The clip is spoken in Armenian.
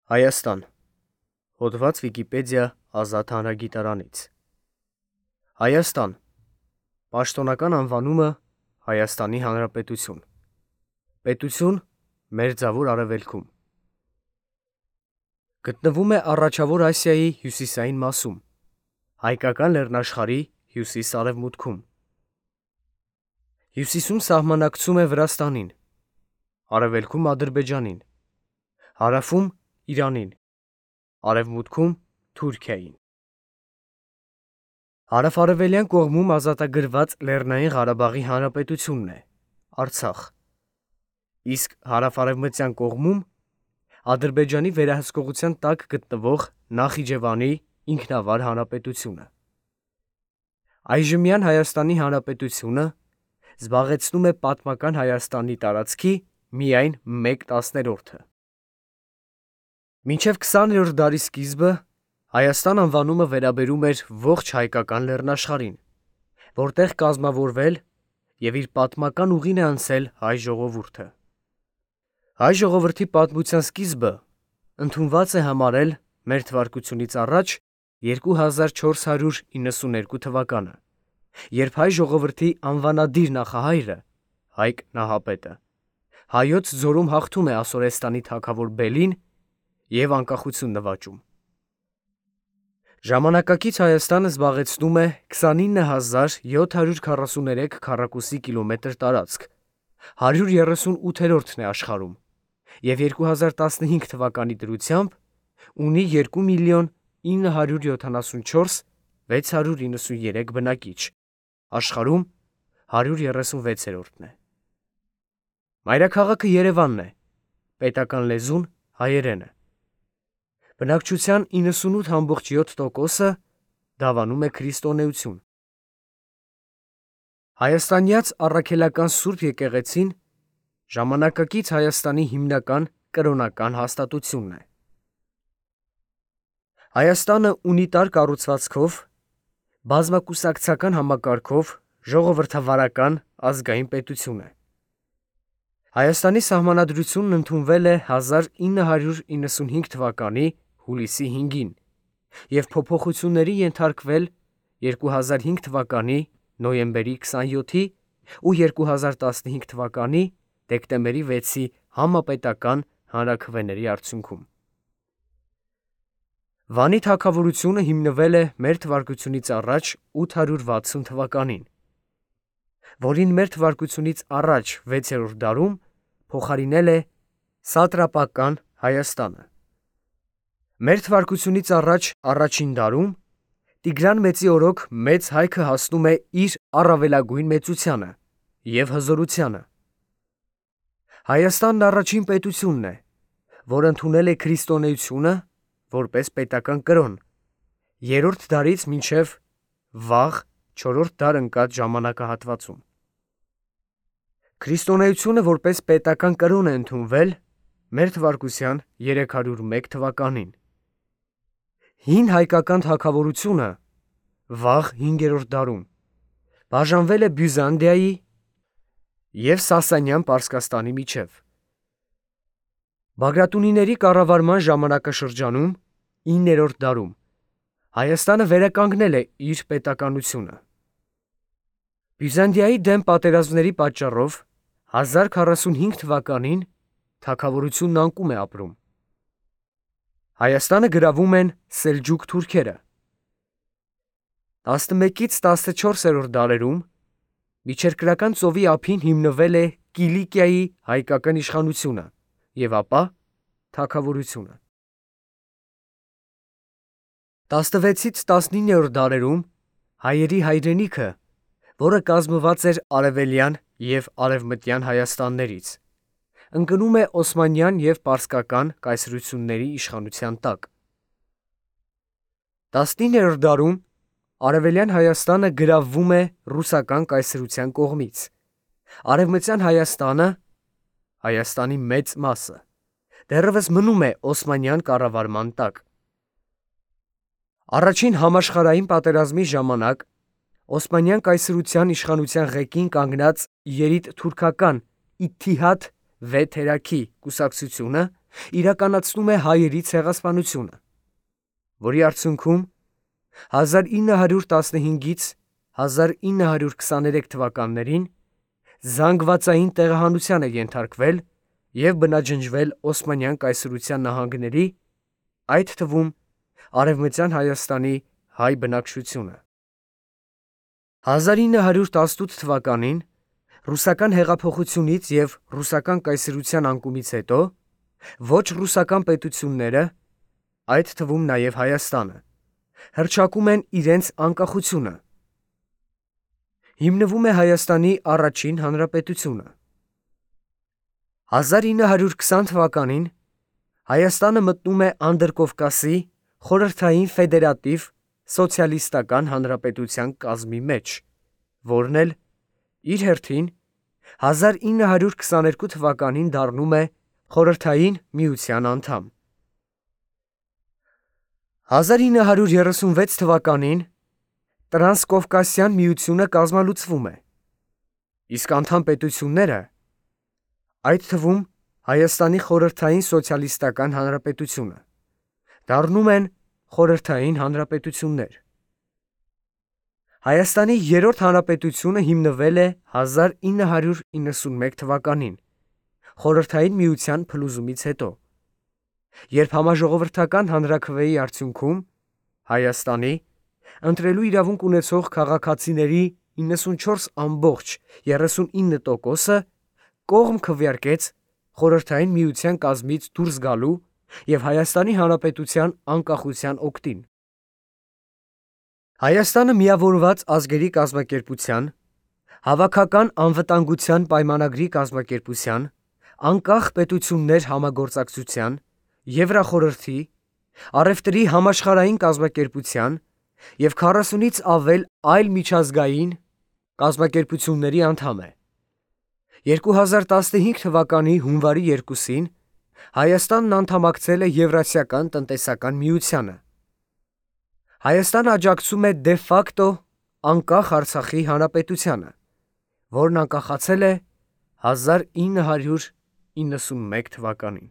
Հայաստան, հոդված Վիկիպեդիա ազատ հանրագիտարանից։ Հայաստան, պաշտոնական անվանումը Հայաստանի Հանրապետություն, պետություն Մերձավոր Արևելքում։ Գտնվում է Առաջավոր Ասիայի հյուսիսային մասում, Հայկական լեռնաշխարհի հյուսիս-արևմուտքում։ Հյուսիսում սահմանակցում է Վրաստանին, արևելքում Ադրբեջանին, հարավում Իրանին, արևմուտքում Թուրքիային։ Հարավ-արևելյան կողմում ազատագրված Լեռնային Ղարաբաղի Հանրապետությունն է, Արցախ, իսկ հարավ-արևմտյան կողմում Ադրբեջանի վերահսկողության տակ գտնվող Նախիջևանի ինքնավար հանրապետությունը։ Այժմյան Հայաստանի Հանրապետությունը զբաղեցնում է պատմական Հայաստանի տարածքի միայն 1/10-ը։ Մինչև 20-րդ դարի սկիզբը Հայաստան անվանումը վերաբերում էր ողջ հայկական լեռնաշխարհին, որտեղ կազմավորվել և իր պատմական ուղին է անցել հայ ժողովուրդը։ Հայ ժողովրդի պատմության սկիզբը ընդունված է համարել մ.թ.ա. 2492 թվականը, երբ հայ ժողովրդի անվանադիր նախահայրը Հայկ Նահապետը հայոց ձորում հաղթում է Ասորեստանի թագավոր Բելին և անկախություն նվաճում։ Ժամանակակից Հայաստանը զբաղեցնում է 29743 քառակուսի կիլոմետր տարածք, 138-րդն է աշխարհում և 2015 թվականի դրությամբ ունի 2.974.693 բնակիչ, աշխարհում 136-րդն է։ Մայրաքաղաքը Երևանն է, պետական լեզուն հայերենը։ Բնակչության 98.7%-ը դավանում է քրիստոնեություն։ Հայաստանյաց առաքելական Սուրբ եկեղեցին ժամանակակից Հայաստանի հիմնական կրոնական հաստատությունն է։ Հայաստանը ունիտար կառուցվածքով, բազմակուսակցական համակարգով ժողովրդավարական ազգային պետություն է։ Հայաստանի սահմանադրությունն ընդունվել է 1995 թվականի հուլիսի 5-ին և փոփոխությունների ենթարկվել 2005 թվականի նոյեմբերի 27-ի ու 2015 թվականի դեկտեմբերի 6-ի համապետական հանրաքվեների արդյունքում։ Վանի թագավորությունը հիմնվել է մ.թ.ա. 860 թվականին, որին մ.թ.ա. 6-րդ դարում փոխարինել է սատրապական Հայաստանը։ Մ.թ.ա. առաջին դարում Տիգրան Մեծի օրոք Մեծ Հայքը հասնում է իր առավելագույն մեծությանը և հզորությանը։ Հայաստանն առաջին պետությունն է, որ ընդունել է քրիստոնեությունը որպես պետական կրոն, 3-րդ դարից մինչև վաղ 4-րդ դար ընկած ժամանակահատվածում։ Քրիստոնեությունը որպես պետական կրոն է ընդունվել մ.թ.ա. 301 թվականին։ Հին հայկական թագավորությունը վաղ 5-րդ դարում բաժանվել է Բյուզանդիայի և Սասանյան Պարսկաստանի միջև։ Բագրատունիների կառավարման ժամանակաշրջանում 9-րդ դարում Հայաստանը վերականգնել է իր պետականությունը։ Բյուզանդիայի դեմ պատերազմների պատճառով 1045 թվականին թագավորությունն անկում է ապրում։ Հայաստանը գրավում են սելջուկ թուրքերը։ 11-ից 14-րդ դարերում Միջերկրական ծովի ափին հիմնվել է Կիլիկիայի հայկական իշխանությունը և ապա թագավորությունը։ 16-ից 19-րդ դարերում հայերի հայրենիքը, որը կազմված էր արևելյան և արևմտյան Հայաստաններից, ընկնում է Օսմանյան և Պարսկական կայսրությունների իշխանության տակ։ 19-րդ դարում արևելյան Հայաստանը գրավվում է ռուսական կայսրության կողմից, արևմտյան Հայաստանը (Հայաստանի մեծ մասը) դեռևս մնում է Օսմանյան կառավարման տակ։ Առաջին համաշխարհային պատերազմի ժամանակ Օսմանյան կայսրության իշխանության ղեկին կանգնած երիտթուրքական Իթիհադ վե թերաքի կուսակցությունը իրականացնում է հայերի ցեղասպանությունը, որի արդյունքում 1915-ից 1923 թվականներին զանգվածային տեղահանության է ենթարկվել և բնաջնջվել Օսմանյան կայսրության նահանգների, այդ թվում Արևմտյան Հայաստանի հայ բնակչությունը։ 1918 թվականին ռուսական հեղափոխությունից և ռուսական կայսրության անկումից հետո ոչ ռուսական պետությունները, այդ թվում նաև Հայաստանը, հռչակում են իրենց անկախությունը։ Հիմնվում է Հայաստանի առաջին հանրապետությունը։ 1920 թվականին Հայաստանը մտնում է Անդրկովկասի խորհրդային ֆեդերատիվ սոցիալիստական հանրապետության կազմի մեջ, որն էլ իր հերթին 1922 թվականին դառնում է Խորհրդային Միության անդամ։ 1936 թվականին Տրանսկովկասյան միությունը կազմալուծվում է, իսկ անդամ պետությունները, այդ թվում Հայաստանի խորհրդային սոցիալիստական հանրապետությունը, դառնում են խորհրդային հանրապետություններ։ Հայաստանի երրորդ հանրապետությունը հիմնվել է 1991 թվականին Խորհրդային Միության փլուզումից հետո, երբ համաժողովրդական հանրաքվեի արդյունքում Հայաստանի ընտրելու իրավունք ունեցող քաղաքացիների 94.39%-ը կողմ քվեարկեց Խորհրդային Միության կազմից դուրս գալու և Հայաստանի Հանրապետության անկախության օգտին։ Հայաստանը միավորված ազգերի կազմակերպության, Հավաքական անվտանգության պայմանագրի կազմակերպության, Անկախ պետություններ համագործակցության, Եվրախորհրդի, Առևտրի համաշխարհային կազմակերպության և 40-ից ավել այլ միջազգային կազմակերպությունների անդամ է։ 2015 թվականի հունվարի 2-ին Հայաստանն անդամակցել է Եվրասիական տնտեսական միությանը։ Հայաստանը աջակցում է դե ֆակտո անկախ Արցախի հանրապետությանը, որն անկախացել է 1991 թվականին։